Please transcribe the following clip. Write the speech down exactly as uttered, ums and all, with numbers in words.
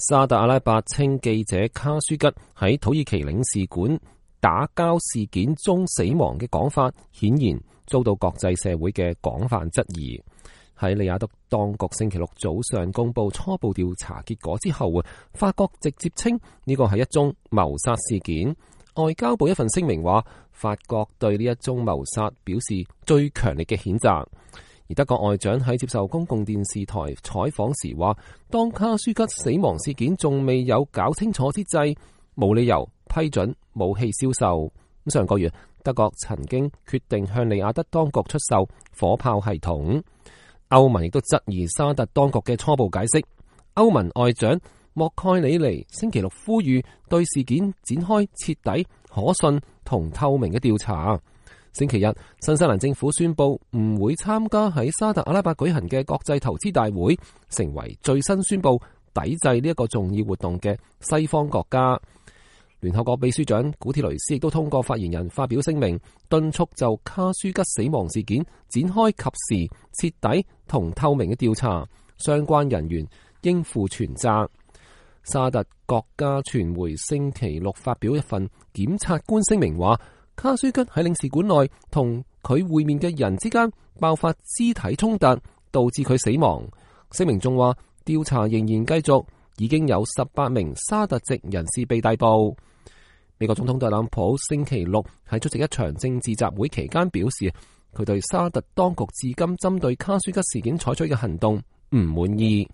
沙特阿拉伯稱記者卡舒吉喺土耳其領事館打交事件中死亡嘅講法，顯然遭到國際社會嘅廣泛質疑。喺利雅得當局星期六早上公布初步調查結果之後，法國直接稱呢個係一宗謀殺事件。外交部一份聲明話，法國對呢一宗謀殺表示最強烈嘅譴責。而德國外長喺接受公共電視台採訪時話，當卡舒吉死亡事件仲未有搞清楚之際，冇理由批准武器銷售。咁上個月，德國曾經決定向利雅得當局出售火炮系統。歐盟亦都質疑沙特當局嘅初步解釋。歐盟外長莫蓋里尼星期六呼籲對事件展開徹底、可信同透明嘅調查。星期日，新西蘭政府宣布唔會參加喺沙特阿拉伯舉行嘅國際投資大會，成為最新宣布抵制呢一個重要活動嘅西方國家。聯合國秘書長古鐵雷斯亦都通過發言人發表聲明，敦促就卡舒吉死亡事件展開及時、徹底同透明嘅調查，相關人員應負全責。沙特國家傳媒星期六發表一份檢察官聲明話，卡舒吉喺領事館內同佢會面嘅人之間爆發肢體衝突，導致佢死亡。聲明仲話，調查仍然繼續，已經有十八名沙特籍人士被逮捕。美國總統特朗普星期六喺出席一場政治集會期間表示，佢對沙特當局至今針對卡舒吉事件採取嘅行動唔滿意。